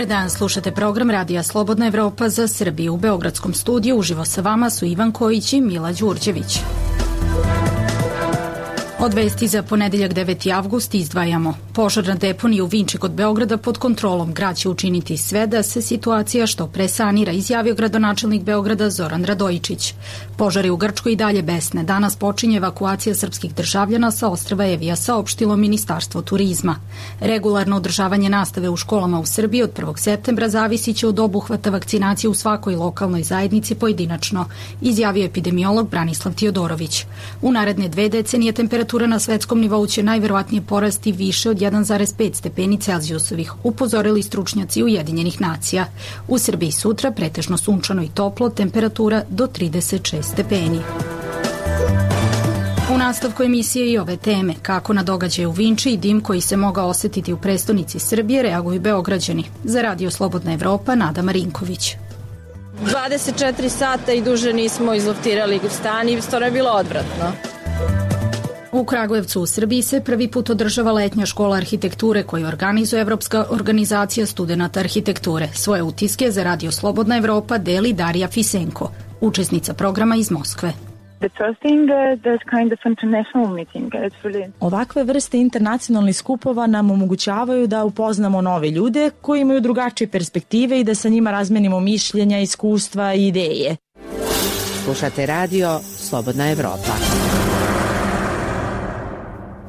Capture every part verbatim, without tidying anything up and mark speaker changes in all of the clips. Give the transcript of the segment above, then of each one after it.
Speaker 1: Dobar dan, slušate program Radija Slobodna Evropa za Srbiju. U Beogradskom studiju uživo sa vama su Ivan Kojić i Mila Đurđević. Od vesti za ponedeljak deveti avgust izdvajamo. Požar na deponiji u Vinči kod Beograda pod kontrolom. Grad će učiniti sve da se situacija što pre sanira, izjavio gradonačelnik Beograda Zoran Radojičić. Požari u Grčkoj i dalje besne. Danas počinje evakuacija srpskih državljana sa ostrva Evija, saopštilo Ministarstvo turizma. Regularno održavanje nastave u školama u Srbiji od prvog septembra zavisiće od obuhvata vakcinacije u svakoj lokalnoj zajednici pojedinačno, izjavio epidemiolog Branislav Tiodorović. U naredne dve decenije temperatura na svetskom nivou će najverovatnije porasti više od jedan zarez pet stepeni Celzijusovih, upozorili stručnjaci Ujedinjenih nacija. U Srbiji sutra pretežno sunčano i toplo, temperatura do trideset šest stepeni. U nastavku emisije i ove teme, kako na događaje u Vinči i dim koji se mogao osetiti u prestonici Srbije, reaguju Beograđani. Za Radio Slobodna Evropa, Nada Marinković.
Speaker 2: dvadeset četiri sata i duže nismo izloftirali stan i stvarno je bilo odvratno.
Speaker 1: U Kragujevcu u Srbiji se prvi put održava letnja škola arhitekture koju organizuje Evropska organizacija studenata arhitekture. Svoje utiske za Radio Slobodna Evropa deli Darija Fisenko, učesnica programa iz Moskve.
Speaker 3: Ovakve vrste internacionalnih skupova nam omogućavaju da upoznamo nove ljude koji imaju drugačije perspektive i da sa njima razmenimo mišljenja, iskustva i ideje.
Speaker 4: Slušate Radio Slobodna Evropa.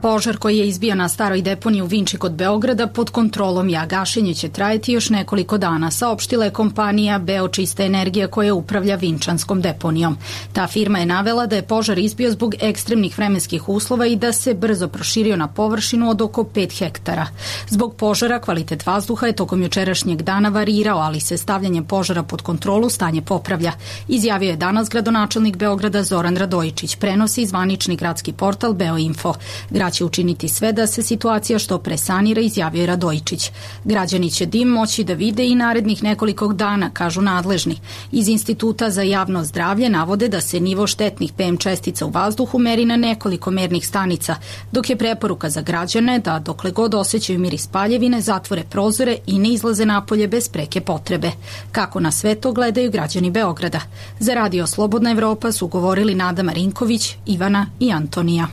Speaker 1: Požar koji je izbio na staroj deponiji u Vinči kod Beograda pod kontrolom je, a gašenje će trajati još nekoliko dana, saopštila je kompanija Beočista energija koja upravlja vinčanskom deponijom. Ta firma je navela da je požar izbio zbog ekstremnih vremenskih uslova i da se brzo proširio na površinu od oko pet hektara. Zbog požara kvalitet vazduha je tokom jučerašnjeg dana varirao, ali se stavljanjem požara pod kontrolu stanje popravlja, izjavio je danas gradonačelnik Beograda Zoran Radojičić, prenosi zvanični gradski portal Beoinfo. Grad će učiniti sve da se situacija što pre sanira, izjavio je Radojičić. Građani će dim moći da vide i narednih nekoliko dana, kažu nadležni. Iz Instituta za javno zdravlje navode da se nivo štetnih P M čestica u vazduhu meri na nekoliko mernih stanica, dok je preporuka za građane da dokle god osjećaju miris paljevine zatvore prozore i ne izlaze napolje bez preke potrebe. Kako na sve to gledaju građani Beograda? Za Radio Slobodna Evropa su govorili Nada Marinković, Ivana i Antonija.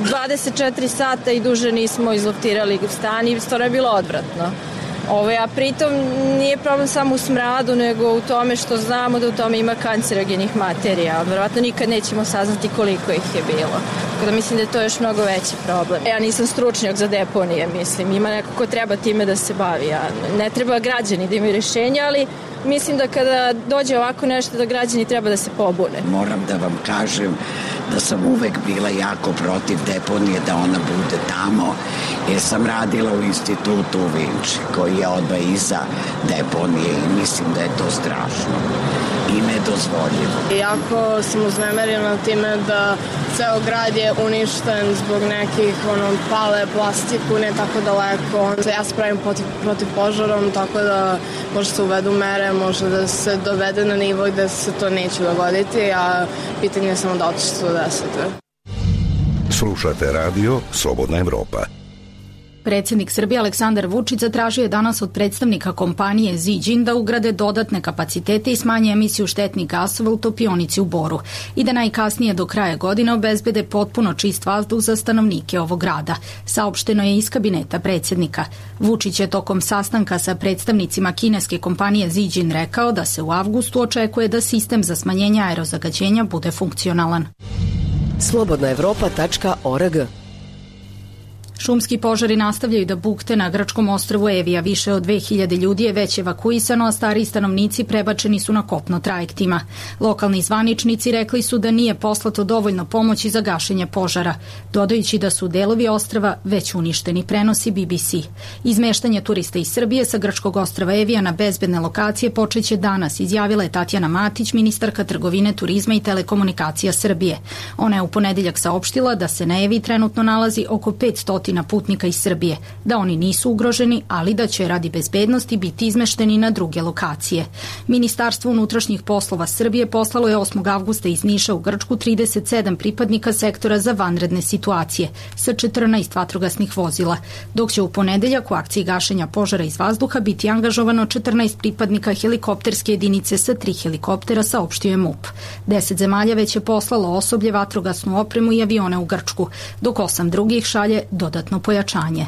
Speaker 2: dvadeset četiri sata i duže nismo izloftirali stan i stvarno je bilo odvratno. Ove, a pritom nije problem samo u smradu, nego u tome što znamo da u tome ima kancerogenih materija. Verovatno nikad nećemo saznati koliko ih je bilo. Tako da mislim da je to još mnogo veći problem. Ja nisam stručnjak za deponije, mislim. Ima neko ko treba time da se bavi. Ja, ne treba građani da imaju rješenja, ali mislim da kada dođe ovako nešto da građani treba da se pobune.
Speaker 5: Moram da vam kažem da sam uvek bila jako protiv deponije, da ona bude tamo, jer sam radila u institutu u Vinči, koji je odmah iza deponije i mislim da je to strašno i nedozvoljivo.
Speaker 6: Jako sam uznemerena time da ceo grad je uništen zbog nekih ono, pale plastiku, ne tako daleko. Ja se pravim protiv, protiv požarom, tako da može se uvedu mere, može da se dovede na nivo gde se to neće dogoditi, a pitanje je samo da otiče do desete.
Speaker 7: Slušate Radio Slobodna Evropa.
Speaker 1: Predsjednik Srbije Aleksandar Vučić zatražio je danas od predstavnika kompanije Ziđin da ugrade dodatne kapacitete i smanje emisiju štetnih gasova u topionici u Boru i da najkasnije do kraja godine obezbede potpuno čist vazduh za stanovnike ovog grada. Saopšteno je iz kabineta predsjednika. Vučić je tokom sastanka sa predstavnicima kineske kompanije Ziđin rekao da se u avgustu očekuje da sistem za smanjenje aerozagađenja bude funkcionalan.
Speaker 4: slobodna evropa tačka org.
Speaker 1: Šumski požari nastavljaju da bukte na grčkom ostrvu Evija. Više od dve hiljade ljudi je već evakuisano, a stariji stanovnici prebačeni su na kopno trajektima. Lokalni zvaničnici rekli su da nije poslato dovoljno pomoći za gašenje požara, dodajući da su delovi ostrva već uništeni, prenosi B B C. Izmeštanje turista iz Srbije sa grčkog ostrva Evija na bezbedne lokacije počeće danas, izjavila je Tatjana Matić, ministarka trgovine, turizma i telekomunikacija Srbije. Ona je u ponedeljak saopštila da se na Eviji trenutno nalazi oko petsto stotina putnika iz Srbije, da oni nisu ugroženi, ali da će radi bezbednosti biti izmešteni na druge lokacije. Ministarstvo unutrašnjih poslova Srbije poslalo je osmog avgusta iz Niša u Grčku trideset sedam pripadnika sektora za vanredne situacije sa četrnaest vatrogasnih vozila, dok će u ponedeljak u akciji gašenja požara iz vazduha biti angažovano četrnaest pripadnika helikopterske jedinice sa tri helikoptera, saopštio je MUP. Deset zemalja već je poslalo osoblje, vatrogasnu opremu i avione u Grčku, dok osam drugih šalje dodatno pojačanje.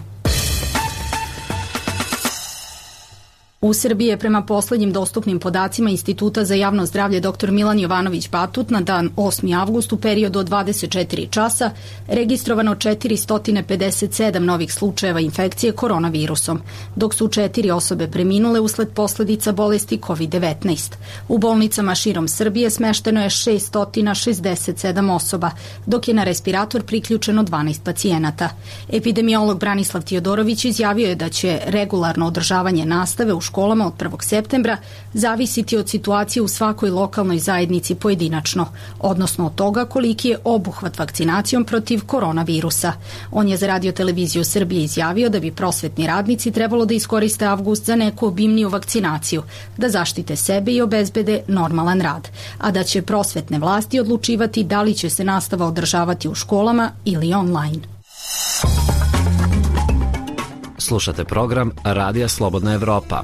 Speaker 1: U Srbiji je prema poslednjim dostupnim podacima Instituta za javno zdravlje dr Milan Jovanović Batut na dan osmi avgust u periodu od dvadeset četiri časa registrovano četiristo pedeset sedam novih slučajeva infekcije koronavirusom, dok su četiri osobe preminule usled posledica bolesti kovid devetnaest. U bolnicama širom Srbije smešteno je šesto šezdeset sedam osoba, dok je na respirator priključeno dvanaest pacijenata. Epidemiolog Branislav Tijodorović izjavio je da će regularno održavanje nastave u školama od prvog septembra zavisiti od situacije u svakoj lokalnoj zajednici pojedinačno, odnosno od toga koliki je obuhvat vakcinacijom protiv koronavirusa. On je za Radio televiziju Srbije izjavio da bi prosvetni radnici trebalo da iskoriste avgust za neku obimniju vakcinaciju, da zaštite sebe i obezbede normalan rad, a da će prosvetne vlasti odlučivati da li će se nastava održavati u školama ili online.
Speaker 8: Slušate program Radija Slobodna Evropa.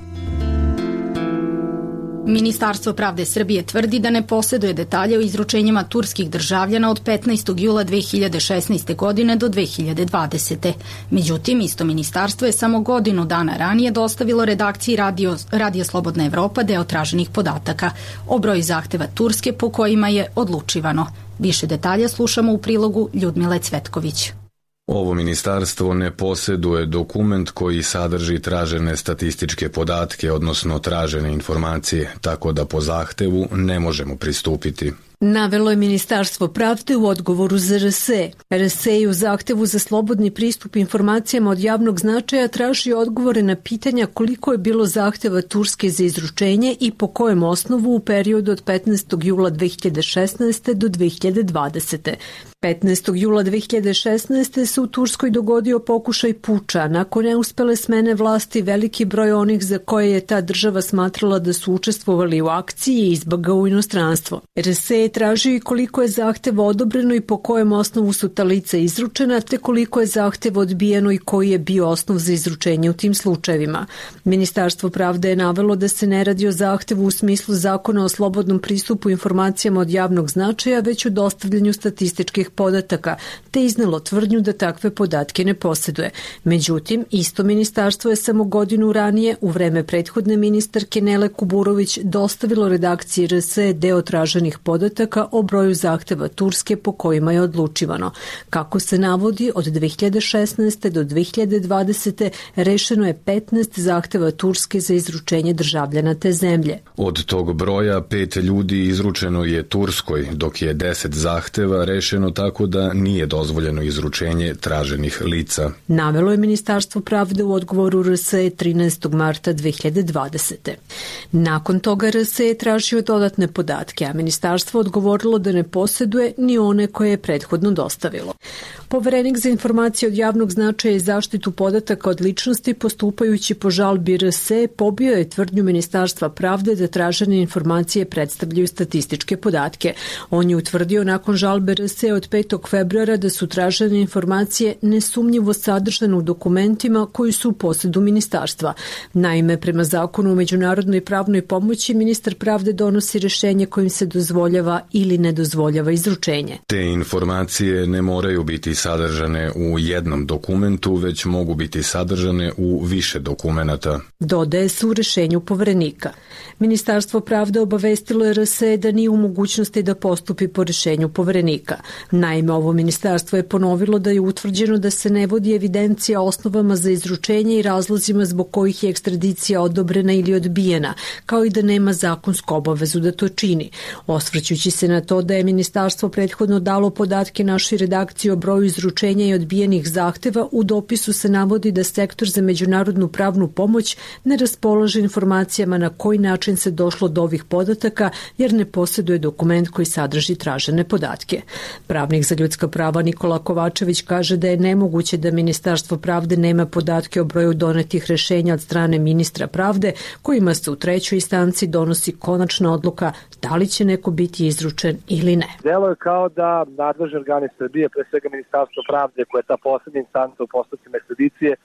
Speaker 1: Ministarstvo pravde Srbije tvrdi da ne posjeduje detalje o izručenjima turskih državljana od petnaestog jula dve hiljade šesnaeste. godine do dve hiljade dvadesete. Međutim, isto ministarstvo je samo godinu dana ranije dostavilo redakciji Radio, Radija Slobodna Evropa deo traženih podataka o broju zahteva Turske po kojima je odlučivano. Više detalja slušamo u prilogu Ljudmile Cvetković.
Speaker 9: Ovo ministarstvo ne posjeduje dokument koji sadrži tražene statističke podatke, odnosno tražene informacije, tako da po zahtevu ne možemo pristupiti.
Speaker 10: Navelo je Ministarstvo pravde u odgovoru za R S E. R S E u zahtevu za slobodni pristup informacijama od javnog značaja traži odgovore na pitanja koliko je bilo zahteva Turske za izručenje i po kojem osnovu u periodu od petnaestog jula dve hiljade šesnaeste. do dve hiljade dvadesete. petnaestog jula dve hiljade šesnaeste. se u Turskoj dogodio pokušaj puča. Nakon neuspele smene vlasti, veliki broj onih za koje je ta država smatrala da su učestvovali u akciji je izbegao u inostranstvo. R S E traži i koliko je zahteva odobreno i po kojem osnovu su ta lica izručena, te koliko je zahteva odbijeno i koji je bio osnov za izručenje u tim slučajevima. Ministarstvo pravde je navelo da se ne radi o zahtevu u smislu zakona o slobodnom pristupu informacijama od javnog značaja, već o dostavljanju statističkih podataka, te iznelo tvrdnju da takve podatke ne posjeduje. Međutim, isto ministarstvo je samo godinu ranije, u vreme prethodne ministarke Nele Kuburović, dostavilo redakciji R S E deo traženih podataka o broju zahteva Turske po kojima je odlučivano. Kako se navodi, od dve hiljade šesnaeste. do dve hiljade dvadesete. rešeno je petnaest zahteva Turske za izručenje državljana te zemlje.
Speaker 9: Od tog broja pet ljudi izručeno je Turskoj, dok je deset zahteva rešeno tako da nije dozvoljeno izručenje traženih lica.
Speaker 10: Navelo je Ministarstvo pravde u odgovoru R S E trinaestog marta dve hiljade dvadesete. Nakon toga R S E tražio dodatne podatke, a ministarstvo odgovorilo da ne posjeduje ni one koje je prethodno dostavilo. Poverenik za informacije od javnog značaja i zaštitu podataka od ličnosti, postupajući po žalbi R S E, pobio je tvrdnju Ministarstva pravde da tražene informacije predstavljaju statističke podatke. On je utvrdio nakon žalbe R S E od petog februara da su tražene informacije nesumnjivo sadržane u dokumentima koji su u posjedu ministarstva. Naime, prema zakonu o međunarodnoj pravnoj pomoći, ministar pravde donosi rešenje kojim se dozvoljava ili ne dozvoljava izručenje.
Speaker 9: Te informacije ne moraju biti sadržane u jednom dokumentu, već mogu biti sadržane u više dokumenata.
Speaker 10: Dodaje se u rešenju poverenika. Ministarstvo pravde obavestilo je R S E da nije u mogućnosti da postupi po rešenju poverenika. Naime, ovo ministarstvo je ponovilo da je utvrđeno da se ne vodi evidencija o osnovama za izručenje i razlozima zbog kojih je ekstradicija odobrena ili odbijena, kao i da nema zakonsku obavezu da to čini. Osvrćući se na to da je ministarstvo prethodno dalo podatke našoj redakciji o broju izručenja i odbijenih zahteva, u dopisu se navodi da Sektor za međunarodnu pravnu pomoć ne raspolaže informacijama na koji način se došlo do ovih podataka, jer ne posjeduje dokument koji sadrži tražene podatke. Pravni Pravnik za ljudska prava Nikola Kovačević kaže da je nemoguće da Ministarstvo pravde nema podatke o broju donetih rešenja od strane ministra pravde, kojima se u trećoj instanci donosi konačna odluka da li će neko biti izručen ili ne.
Speaker 11: Delo je kao da nadležni organi Srbije, pre svega Ministarstvo pravde, koja je ta poslednja instanca u postupcima ekstradicije,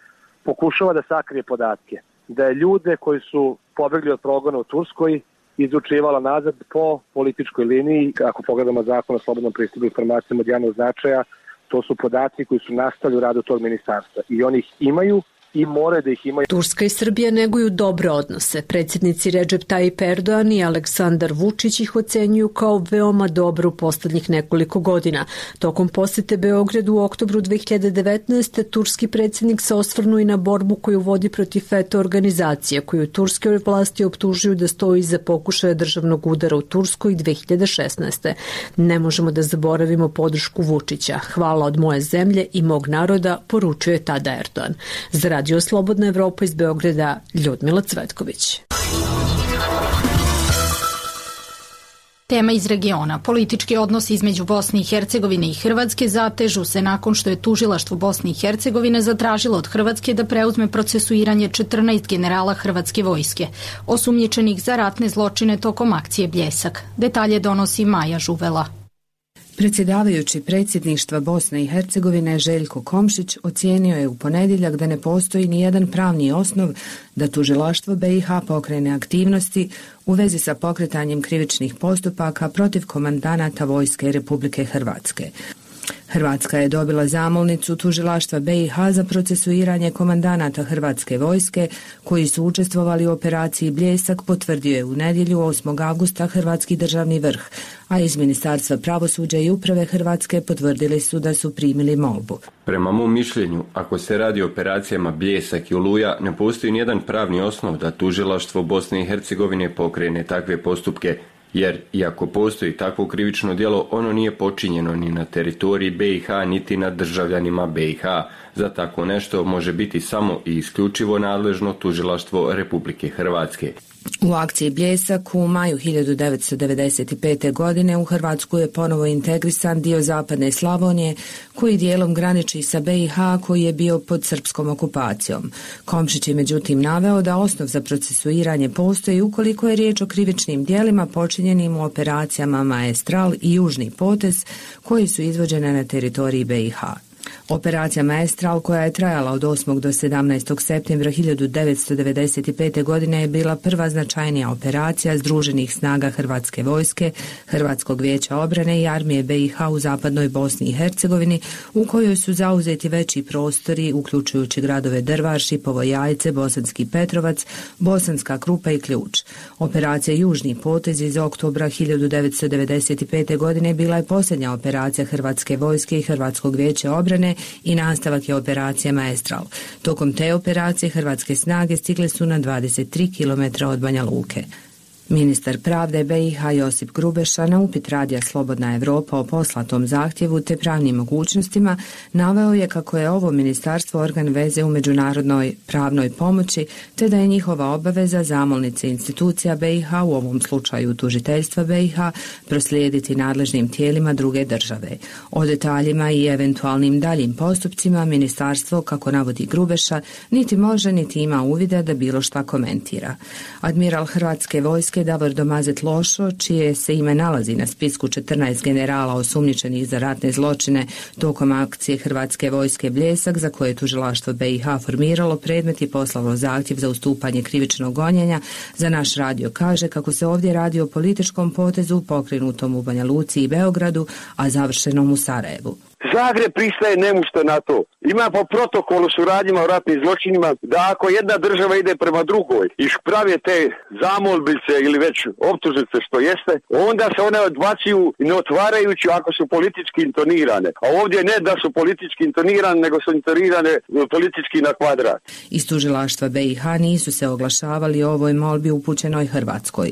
Speaker 11: pokušava da sakrije podatke. Da je ljude koji su pobegli od progona u Turskoj izručivala nazad po političkoj liniji. Ako pogledamo zakon o slobodnom pristupu informacijama od javnog značaja, to su podaci koji su nastali u radu tog ministarstva i oni ih imaju i more da ih imaju.
Speaker 10: Turska i Srbija neguju dobre odnose. Predsjednici Recep Tayyip Erdogan i Aleksandar Vučić ih ocenjuju kao veoma dobro u poslednjih nekoliko godina. Tokom posete Beogradu u oktobru dve hiljade devetnaeste. turski predsjednik se osvrnuo i na borbu koju vodi protiv FETA organizacije, koju turske vlasti optužuju da stoji iza pokušaja državnog udara u Turskoj dve hiljade šesnaeste. Ne možemo da zaboravimo podršku Vučića. Hvala od moje zemlje i mog naroda, poručio je tada Erdogan. Za Radio Slobodna Evropa iz Beograda, Ljudmila Cvetković.
Speaker 1: Tema iz regiona. Politički odnosi između Bosne i Hercegovine i Hrvatske zatežu se nakon što je tužilaštvo Bosne i Hercegovine zatražilo od Hrvatske da preuzme procesuiranje četrnaest generala Hrvatske vojske, osumnjičenih za ratne zločine tokom akcije Bljesak. Detalje donosi Maja Žuvela.
Speaker 12: Predsjedavajući predsjedništva Bosne i Hercegovine Željko Komšić ocijenio je u ponedjeljak da ne postoji ni jedan pravni osnov da tužilaštvo B i H pokrene aktivnosti u vezi sa pokretanjem krivičnih postupaka protiv komandanata vojske Republike Hrvatske. Hrvatska je dobila zamolnicu tužilaštva B i H za procesuiranje komandanata Hrvatske vojske koji su učestvovali u operaciji Bljesak, potvrdio je u nedjelju osmog avgusta Hrvatski državni vrh, a iz Ministarstva pravosuđa i uprave Hrvatske potvrdili su da su primili molbu.
Speaker 13: Prema mom mišljenju, ako se radi o operacijama Bljesak i Oluja, ne postoji nijedan pravni osnov da tužilaštvo Bosne i Hercegovine pokrene takve postupke, jer iako postoji takvo krivično djelo, ono nije počinjeno ni na teritoriji B i H, niti nad državljanima B i H. Za tako nešto može biti samo i isključivo nadležno tužilaštvo Republike Hrvatske.
Speaker 12: U akciji Bljesak u maju hiljadu devetsto devedeset pete. godine u Hrvatsku je ponovo integrisan dio zapadne Slavonije koji dijelom graniči sa B i H koji je bio pod srpskom okupacijom. Komšić je međutim naveo da osnov za procesuiranje postoji ukoliko je riječ o krivičnim djelima počinjenim u operacijama Maestral i Južni potez koji su izvođene na teritoriji B i H. Operacija Maestral, koja je trajala od osmog do sedamnaestog septembra hiljadu devetsto devedeset pete. godine, je bila prva značajnija operacija združenih snaga Hrvatske vojske, Hrvatskog vijeća obrane i armije B i H u zapadnoj Bosni i Hercegovini, u kojoj su zauzeti veći prostori, uključujući gradove Drvar, Šipovo Jajce, Bosanski Petrovac, Bosanska Krupa i Ključ. Operacija Južni potez iz oktobra hiljadu devetsto devedeset pete. godine bila je posljednja operacija Hrvatske vojske i Hrvatskog vijeća obrane i nastavak je operacija Maestral. Tokom te operacije hrvatske snage stigle su na dvadeset tri kilometra od Banja Luke. Ministar pravde B i H Josip Grubeša na upit Radija Slobodna Evropa o poslatom zahtjevu te pravnim mogućnostima naveo je kako je ovo ministarstvo organ veze u međunarodnoj pravnoj pomoći te da je njihova obaveza zamolnice institucija B i H, u ovom slučaju tužiteljstva B i H, proslijediti nadležnim tijelima druge države. O detaljima i eventualnim daljim postupcima ministarstvo, kako navodi Grubeša, niti može niti ima uvida da bilo šta komentira. Admiral Hrvatske vojske Davor Domazet Lošo, čije se ime nalazi na spisku četrnaest generala osumnjičenih za ratne zločine tokom akcije Hrvatske vojske Bljesak, za koje je tužilaštvo B i H formiralo predmet i poslalo zahtjev za ustupanje krivičnog gonjenja, za naš radio kaže kako se ovdje radi o političkom potezu pokrenutom u Banja Luci i Beogradu, a završenom u Sarajevu.
Speaker 14: Zagreb pristaje nemušto na to. Ima po protokolu suradnjima o ratnim zločinima da ako jedna država ide prema drugoj i prave te zamolbice ili već optužnice što jeste, onda se one odbacuju ne otvarajući ako su politički intonirane. A ovdje ne da su politički intonirane, nego su intonirane politički na kvadrat.
Speaker 12: Iz tužilaštva B i H nisu se oglašavali o ovoj molbi upućenoj Hrvatskoj.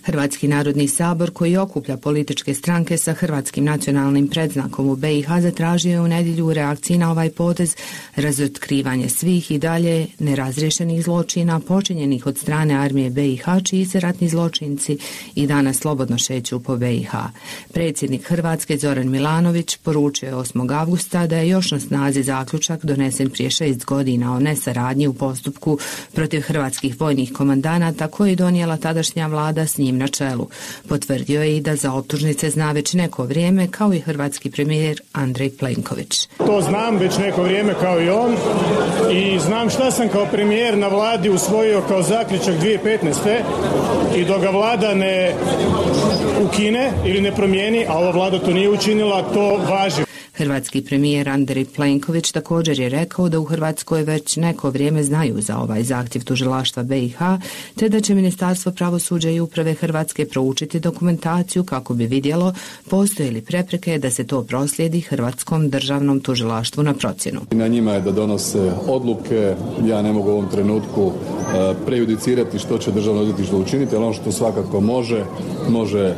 Speaker 12: Hrvatski narodni sabor, koji okuplja političke stranke sa hrvatskim nacionalnim predznakom u be i ha, zatražio je u nedjelju u reakciji na ovaj potez razotkrivanje svih i dalje nerazriješenih zločina počinjenih od strane armije be i ha, čiji se ratni zločinci i danas slobodno šeću po be i ha. Predsjednik Hrvatske Zoran Milanović poručio je osmog avgusta da je još na snazi zaključak donesen prije šest godina o nesaradnji u postupku protiv hrvatskih vojnih komandanata koji je donijela tadašnja vlada s njim na čelu. Potvrdio je i da za optužnice zna već neko vrijeme, kao i hrvatski premijer Andrej Plenković.
Speaker 15: To znam već neko vrijeme kao i on i znam šta sam kao premijer na vladi usvojio kao zaključak dvije tisuće petnaeste. i dok ga vlada ne ukine ili ne promijeni, a ova vlada to nije učinila, to važi.
Speaker 12: Hrvatski premijer Andrej Plenković također je rekao da u Hrvatskoj već neko vrijeme znaju za ovaj zahtjev tužilaštva be i ha, te da će Ministarstvo pravosuđa i uprave Hrvatske proučiti dokumentaciju kako bi vidjelo postoje li prepreke da se to proslijedi Hrvatskom državnom tužilaštvu na procjenu.
Speaker 16: Na njima je da donose odluke, ja ne mogu u ovom trenutku prejudicirati što će državno odvjetništvo učiniti, ali ono što svakako može, može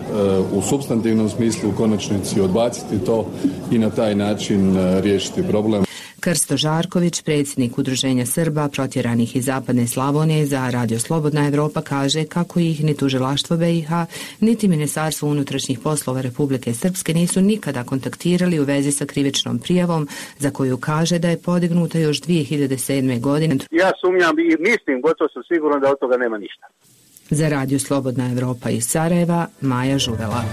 Speaker 16: u supstantivnom smislu u konačnici odbaciti to i na taj način riješiti problem.
Speaker 12: Krsto Žarković, predsjednik Udruženja Srba protjeranih iz Zapadne Slavonije za Radio Slobodna Evropa, kaže kako ih ni tužilaštvo be i ha, niti Ministarstvo unutrašnjih poslova Republike Srpske nisu nikada kontaktirali u vezi sa krivičnom prijavom, za koju kaže da je podignuta još dvije hiljade sedme. godine.
Speaker 17: Ja sumnjam i mislim, gotovo sam siguran da od toga nema ništa.
Speaker 12: Za Radio Slobodna Evropa iz Sarajeva, Maja Žuvela.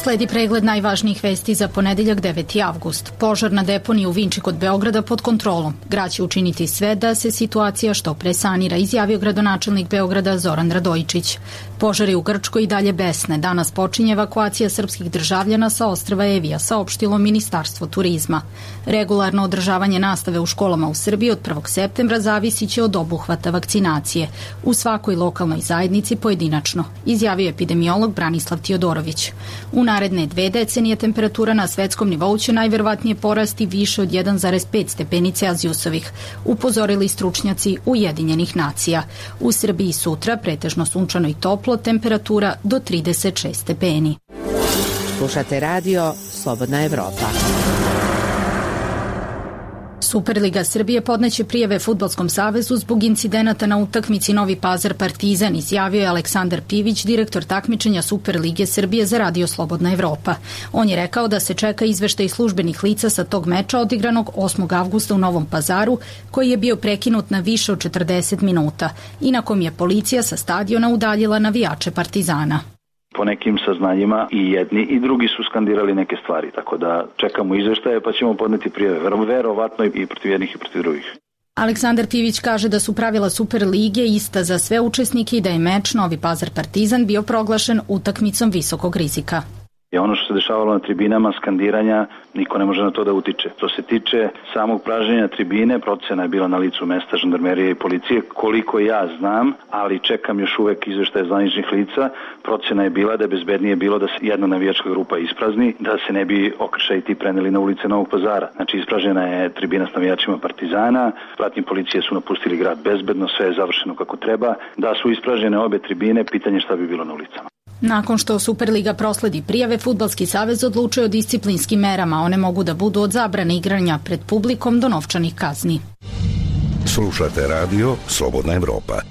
Speaker 1: Sledi pregled najvažnijih vesti za ponedeljak deveti avgust. Požar na deponiji u Vinči kod Beograda pod kontrolom. Grad će učiniti sve da se situacija što pre sanira, izjavio gradonačelnik Beograda Zoran Radojičić. Požari u Grčkoj i dalje besne. Danas počinje evakuacija srpskih državljana sa ostrva Evija, saopštilo Ministarstvo turizma. Regularno održavanje nastave u školama u Srbiji od prvog septembra zavisit će od obuhvata vakcinacije u svakoj lokalnoj zajednici pojedinačno, izjavio epidemiolog Branislav Tiodorović. U naredne dve decenije temperatura na svetskom nivou će najverovatnije porasti više od jedan zarez pet stepeni Celzijusovih, upozorili stručnjaci Ujedinjenih nacija. U Srbiji sutra pretežno sunčano i toplo, temperatura do trideset šest stepeni.
Speaker 4: Slušate radio Slobodna Evropa.
Speaker 1: Superliga Srbije podneće prijave Fudbalskom savezu zbog incidenata na utakmici Novi Pazar Partizan, izjavio je Aleksandar Pivić, direktor takmičenja Superlige Srbije za Radio Slobodna Evropa. On je rekao da se čeka izveštaj službenih lica sa tog meča odigranog osmog avgusta u Novom Pazaru, koji je bio prekinut na više od četrdeset minuta i na kom je policija sa stadiona udaljila navijače Partizana.
Speaker 18: Po nekim saznanjima i jedni i drugi su skandirali neke stvari, tako da čekamo izveštaje pa ćemo podneti prijave, verovatno i protiv jednih i protiv drugih.
Speaker 1: Aleksandar Pivić kaže da su pravila Superlige ista za sve učesnike i da je meč Novi Pazar Partizan bio proglašen utakmicom visokog rizika.
Speaker 18: I ono što se dešavalo na tribinama, skandiranja, niko ne može na to da utiče. Što se tiče samog pražnjenja tribine, procena je bila na licu mesta žandarmerije i policije, koliko ja znam, ali čekam još uvek izveštaje zvaničnih lica. Procena je bila da je bezbednije bilo da se jedna navijačka grupa isprazni, da se ne bi okršaji ti preneli na ulice Novog Pazara. Znači, ispražnjena je tribina s navijačima Partizana, pratnji policije su napustili grad bezbedno, sve je završeno kako treba. Da su ispražnjene obe tribine, pitanje šta bi bilo na ulicama.
Speaker 1: Nakon što Superliga prosledi prijave, Fudbalski savez odlučuje o disciplinskim merama. One mogu da budu od zabrane igranja pred publikom do novčanih kazni.
Speaker 7: Slušate radio Slobodna Evropa.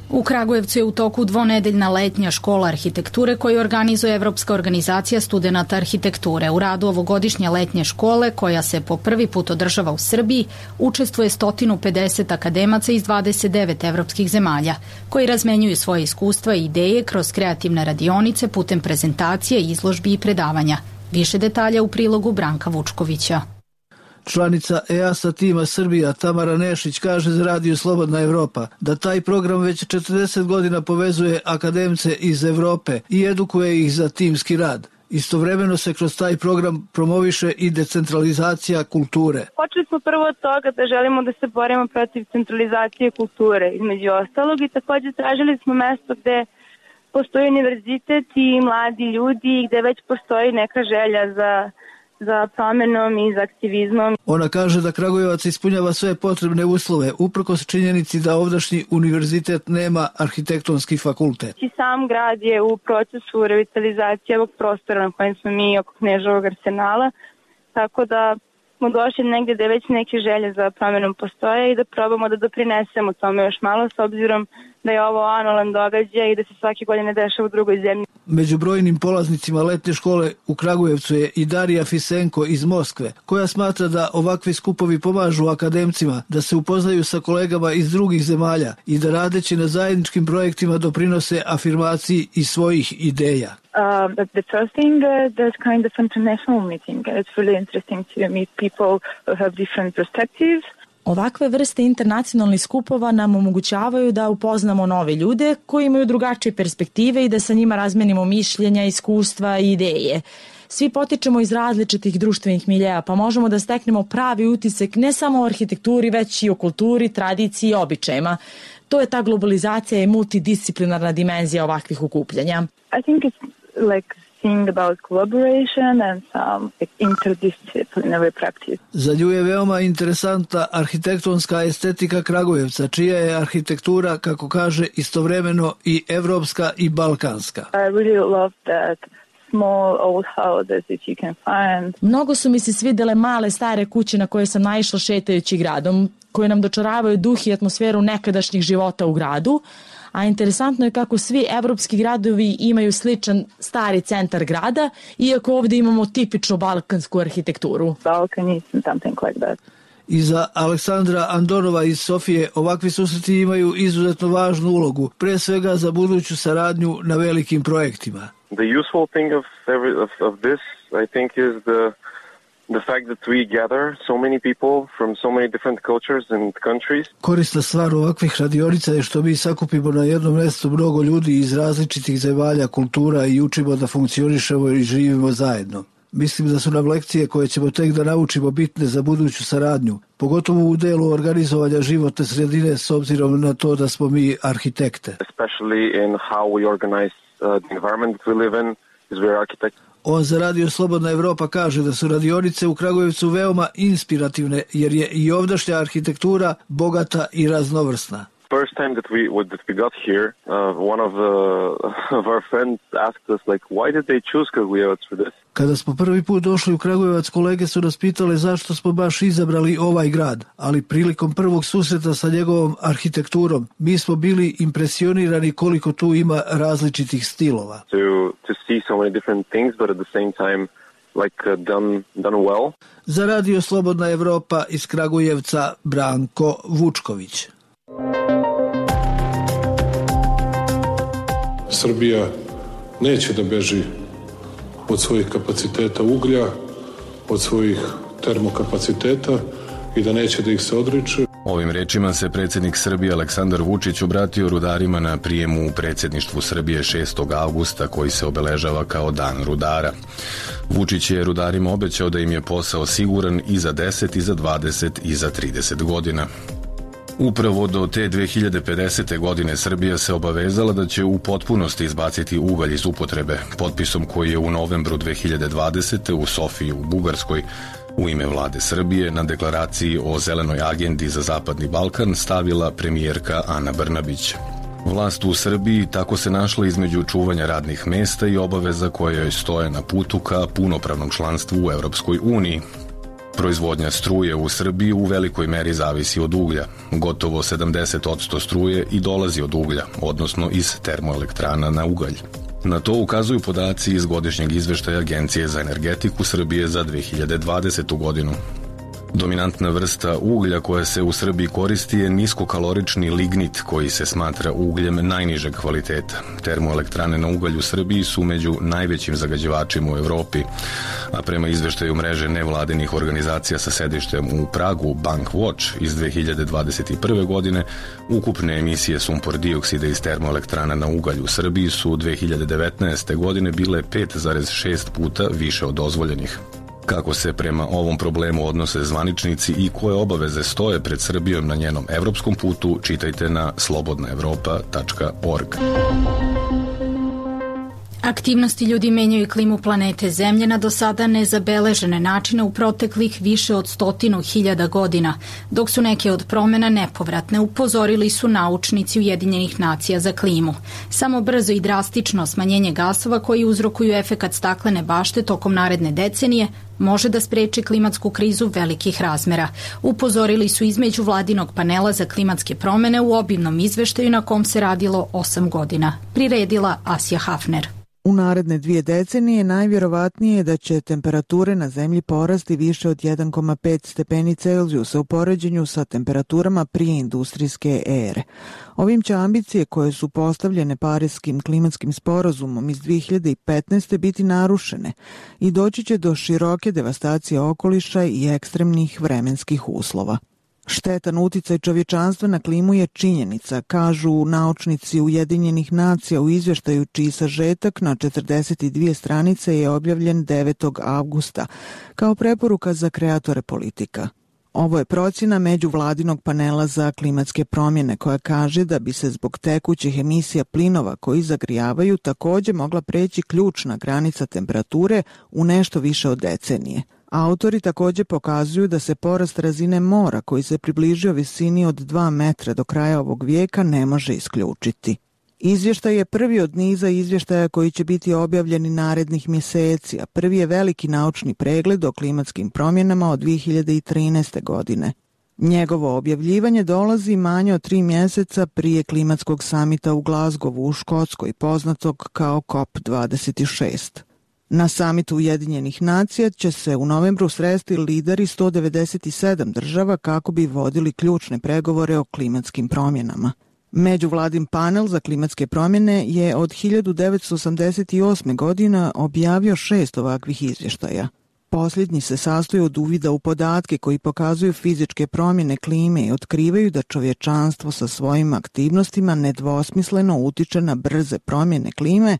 Speaker 1: U Kragujevcu je u toku dvonedeljna letnja škola arhitekture koju organizuje Evropska organizacija studenata arhitekture. U radu ovogodišnje letnje škole, koja se po prvi put održava u Srbiji, učestvuje sto pedeset akademaca iz dvadeset devet evropskih zemalja, koji razmenjuju svoje iskustva i ideje kroz kreativne radionice putem prezentacije, izložbi i predavanja. Više detalja u prilogu Branka Vučkovića.
Speaker 19: Članica E A S A tima Srbija Tamara Nešić kaže za Radio Slobodna Evropa da taj program već četrdeset godina povezuje akademce iz Evrope i edukuje ih za timski rad. Istovremeno se kroz taj program promoviše i decentralizacija kulture.
Speaker 20: Počeli smo prvo od toga da želimo da se borimo protiv centralizacije kulture, između ostalog, i također tražili smo mesto gde postoji univerzitet i mladi ljudi, gde već postoji neka želja za za promenom i za aktivizmom.
Speaker 19: Ona kaže da Kragujevac ispunjava sve potrebne uslove, uprkos činjenici da ovdašnji univerzitet nema arhitektonski fakultet.
Speaker 20: I sam grad je u procesu revitalizacije ovog prostora na kojem smo mi oko Kneževog arsenala, tako da smo došli negdje da već neke želje za promjenom postoje i da probamo da doprinesemo tome još malo, s obzirom da je ovo anualan događaj i da se svake godine dešava u drugoj zemlji.
Speaker 19: Među brojnim polaznicima letnje škole u Kragujevcu je i Darija Fisenko iz Moskve, koja smatra da ovakvi skupovi pomažu akademcima da se upoznaju sa kolegama iz drugih zemalja i da radeći na zajedničkim projektima doprinose afirmaciji i svojih ideja.
Speaker 20: Uh, but the first thing, uh, there's kind of international meeting. It's really interesting to meet people who have different perspectives.
Speaker 3: Ovakve vrste internacionalnih skupova nam omogućavaju da upoznamo nove ljude koji imaju drugačije perspektive i da sa njima razmenimo mišljenja, iskustva i ideje. Svi potičemo iz različitih društvenih miljeja, pa možemo da steknemo pravi utisak ne samo o arhitekturi, već i o kulturi, tradiciji i običajima. To je ta globalizacija i multidisciplinarna dimenzija ovakvih okupljanja.
Speaker 20: I think it's like seeing about collaboration and some like, interdisciplinary practice.
Speaker 19: Za nju je veoma interesantna arhitektonska estetika Kragujevca, čija je arhitektura, kako kaže, istovremeno i evropska i balkanska.
Speaker 20: I really love that small old houses that you can find.
Speaker 3: Mnogo su mi se svidele male stare kuće na koje sam naišla šetajući gradom, koje nam dočaravaju duh i atmosferu nekadašnjih života u gradu, a interesantno je kako svi evropski gradovi imaju sličan stari centar grada, iako ovdje imamo tipičnu balkansku arhitekturu.
Speaker 20: Balkan is something like that.
Speaker 19: I za Aleksandra Andorova iz Sofije ovakvi susreti imaju izuzetno važnu ulogu, pre svega za buduću saradnju na velikim projektima.
Speaker 21: The useful thing of, every, of, of this, I think, is the the fact that we gather so many people from so many different cultures and countries.
Speaker 19: Korisna stvar ovakvih radionica je što mi sakupimo na jednom mjestu mnogo ljudi iz različitih zemalja, kultura i učimo da funkcionišemo i živimo zajedno. Mislim da su nam lekcije koje ćemo tek da naučimo bitne za buduću saradnju, pogotovo u delu organizovanja životne sredine s obzirom na to da smo mi arhitekte.
Speaker 21: Especially in how we organize uh, the environment that we live in, as we are architects.
Speaker 19: On za Radio Slobodna Evropa kaže da su radionice u Kragujevcu veoma inspirativne jer je i ovdašnja arhitektura bogata i raznovrsna.
Speaker 21: First time that we that we got here, uh, one of, uh, of our friends asked us like, why did they choose Kragujevac for this?
Speaker 19: Kada smo prvi put došli u Kragujevac, kolege su nas pitale zašto smo baš izabrali ovaj grad, ali prilikom prvog susreta sa njegovom arhitekturom mi smo bili impresionirani koliko tu ima različitih stilova.
Speaker 21: To to see so many different things, but at the same time like uh, done done well.
Speaker 19: Za Radio Slobodna Evropa iz Kragujevca Branko Vučković.
Speaker 22: Srbija neće da beži od svojih kapaciteta uglja, od svojih termokapaciteta i da neće da ih se odriče.
Speaker 9: Ovim rečima se predsjednik Srbije Aleksandar Vučić obratio rudarima na prijemu u predsjedništvu Srbije šestog avgusta koji se obeležava kao Dan rudara. Vučić je rudarima obećao da im je posao siguran i za deset, i za dvadeset, i za trideset godina. Upravo do te dve hiljade pedesete. godine Srbija se obavezala da će u potpunosti izbaciti ugalj iz upotrebe, potpisom koji je u novembru dve hiljade dvadesete. u Sofiji u Bugarskoj u ime vlade Srbije na deklaraciji o zelenoj agendi za Zapadni Balkan stavila premijerka Ana Brnabić. Vlast u Srbiji tako se našla između čuvanja radnih mesta i obaveza koje joj stoje na putu ka punopravnom članstvu u Evropskoj uniji. Proizvodnja struje u Srbiji u velikoj meri zavisi od uglja. Gotovo sedamdeset posto struje i dolazi od uglja, odnosno iz termoelektrana na ugalj. Na to ukazuju podaci iz godišnjeg izveštaja Agencije za energetiku Srbije za dve hiljade dvadesetu. godinu. Dominantna vrsta uglja koja se u Srbiji koristi je niskokalorični lignit koji se smatra ugljem najnižeg kvaliteta. Termoelektrane na ugalj u Srbiji su među najvećim zagađivačima u Evropi, a prema izveštaju mreže nevladinih organizacija sa sedištem u Pragu Bankwatch iz dve hiljade dvadeset prve. godine, ukupne emisije sumpor dioksida iz termoelektrana na ugalj u Srbiji su dve hiljade devetnaeste. godine bile pet zarez šest puta više od dozvoljenih. Kako se prema ovom problemu odnose zvaničnici i koje obaveze stoje pred Srbijom na njenom evropskom putu, čitajte na slobodna evropa tačka org.
Speaker 1: Aktivnosti ljudi menjaju klimu planete Zemlje na do sada nezabeležene načine u proteklih više od stotinu hiljada godina, dok su neke od promena nepovratne, upozorili su naučnici Ujedinjenih nacija za klimu. Samo brzo i drastično smanjenje gasova koji uzrokuju efekat staklene bašte tokom naredne decenije može da spreči klimatsku krizu velikih razmera. Upozorili su između vladinog panela za klimatske promene u obimnom izveštaju na kom se radilo osam godina. Priredila Asja Hafner.
Speaker 2: U naredne dvije decenije najvjerovatnije je da će temperature na zemlji porasti više od jedan zarez pet stepeni Celzijusa u poređenju sa temperaturama prije industrijske ere. Ovim će ambicije koje su postavljene Pariskim klimatskim sporazumom iz dve hiljade petnaeste. biti narušene i doći će do široke devastacije okoliša i ekstremnih vremenskih uslova. Štetan uticaj čovječanstva na klimu je činjenica, kažu naučnici Ujedinjenih nacija u izvještaju čiji sažetak na četrdeset dvije stranice je objavljen devetog avgusta kao preporuka za kreatore politika. Ovo je procjena međuvladinog panela za klimatske promjene koja kaže da bi se zbog tekućih emisija plinova koji zagrijavaju također mogla preći ključna granica temperature u nešto više od decenije. Autori također pokazuju da se porast razine mora koji se približio visini od dva metra do kraja ovog vijeka ne može isključiti. Izvještaj je prvi od niza izvještaja koji će biti objavljeni narednih mjeseci, a prvi je veliki naučni pregled o klimatskim promjenama od dve hiljade trinaeste. godine. Njegovo objavljivanje dolazi manje od tri mjeseca prije klimatskog samita u Glasgowu u Škotskoj, poznatog kao COP dvadeset šest. Na samitu Ujedinjenih nacija će se u novembru sresti lideri sto devedeset sedam država kako bi vodili ključne pregovore o klimatskim promjenama. Međuvladin panel za klimatske promjene je od hiljadu devetsto osamdeset osme. godine objavio šest ovakvih izvještaja. Posljednji se sastoji od uvida u podatke koji pokazuju fizičke promjene klime i otkrivaju da čovječanstvo sa svojim aktivnostima nedvosmisleno utiče na brze promjene klime,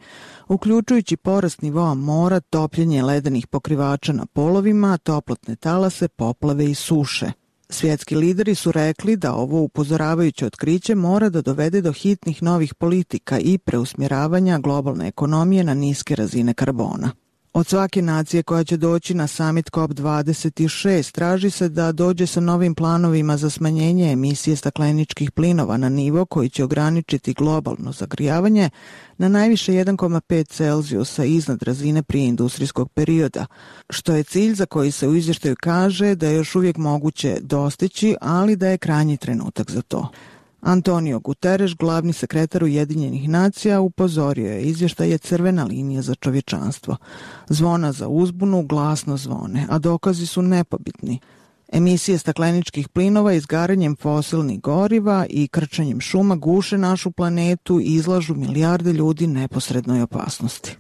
Speaker 2: uključujući porast nivoa mora, topljenje ledenih pokrivača na polovima, toplotne talase, poplave i suše. Svjetski lideri su rekli da ovo upozoravajuće otkriće mora da dovede do hitnih novih politika i preusmjeravanja globalne ekonomije na niske razine karbona. Od svake nacije koja će doći na summit COP dvadeset šest traži se da dođe sa novim planovima za smanjenje emisije stakleničkih plinova na nivo koji će ograničiti globalno zagrijavanje na najviše jedan zarez pet Celzijusa iznad razine prije industrijskog perioda, što je cilj za koji se u izvještaju kaže da je još uvijek moguće dostići, ali da je krajnji trenutak za to. Antonio Guterres, glavni sekretar Ujedinjenih nacija, upozorio je izvještaj je crvena linija za čovječanstvo. Zvona za uzbunu glasno zvone, a dokazi su nepobitni. Emisije stakleničkih plinova izgaranjem fosilnih goriva i krčenjem šuma guše našu planetu i izlažu milijarde ljudi neposrednoj opasnosti.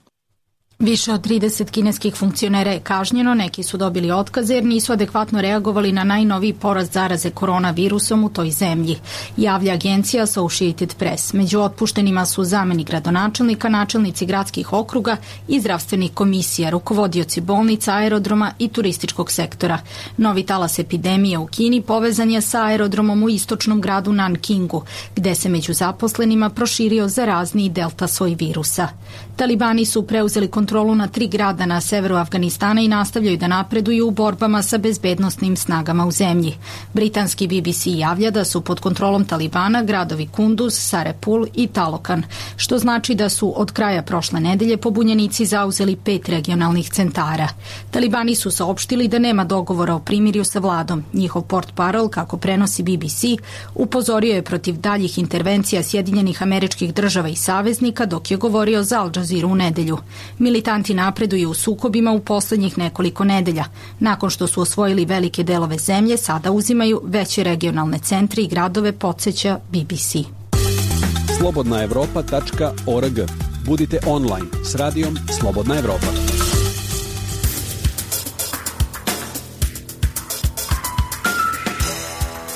Speaker 1: Više od trideset kineskih funkcionera je kažnjeno, neki su dobili otkaze jer nisu adekvatno reagovali na najnoviji porast zaraze koronavirusom u toj zemlji, javlja agencija Associated Press. Među otpuštenima su zamenik gradonačelnika, načelnici gradskih okruga i zdravstvenih komisija, rukovodioci bolnica, aerodroma i turističkog sektora. Novi talas epidemije u Kini povezan je sa aerodromom u istočnom gradu Nankingu, gde se među zaposlenima proširio zarazni delta soj virusa. Talibani su preuzeli kontrolu na tri grada na severu Afganistana i nastavljaju da napreduju u borbama sa bezbednosnim snagama u zemlji. Britanski B B C javlja da su pod kontrolom Talibana gradovi Kunduz, Sarepul i Talokan, što znači da su od kraja prošle nedelje pobunjenici zauzeli pet regionalnih centara. Talibani su saopštili da nema dogovora o primirju sa vladom. Njihov portparol, kako prenosi B B C, upozorio je protiv daljih intervencija Sjedinjenih Američkih Država i saveznika dok je govorio za Al Jazeera u nedelju. Militanti napreduju u sukobima u posljednjih nekoliko nedelja. Nakon što su osvojili velike delove zemlje, sada uzimaju veće regionalne centre i gradove, podsjeća B B C.
Speaker 5: slobodna evropa tačka org. Budite online s radijom Slobodna Evropa.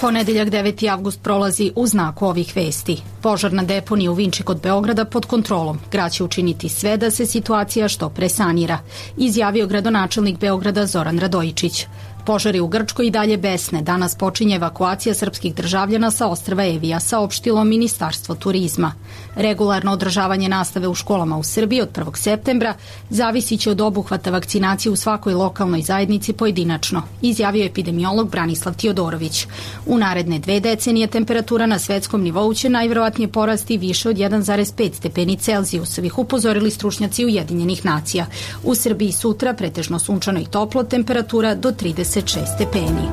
Speaker 1: Ponedeljak deveti avgust prolazi u znaku ovih vesti. Požar na deponiji u Vinči kod Beograda pod kontrolom. Grad će učiniti sve da se situacija što pre sanira, izjavio gradonačelnik Beograda Zoran Radojičić. Požari u Grčkoj i dalje besne. Danas počinje evakuacija srpskih državljana sa ostrva Evija, saopštilo Ministarstvo turizma. Regularno održavanje nastave u školama u Srbiji od prvog septembra zavisit će od obuhvata vakcinacije u svakoj lokalnoj zajednici pojedinačno, izjavio epidemiolog Branislav Tiodorović. U naredne dve decenije temperatura na svetskom nivou će najverovatnije porasti više od jedan zarez pet stepeni Celzijusovih, upozorili stručnjaci Ujedinjenih nacija. U Srbiji sutra pretežno sunčano i toplo, temperatura do trideset šest stepeni.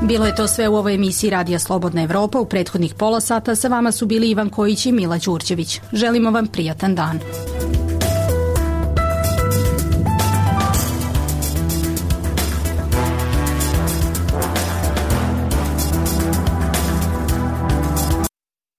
Speaker 1: Bilo je to sve u ovoj emisiji Radija Slobodna Evropa. U prethodnih pola sata sa vama su bili Ivan Kojić i Mila Đurđević. Želimo vam prijatan dan.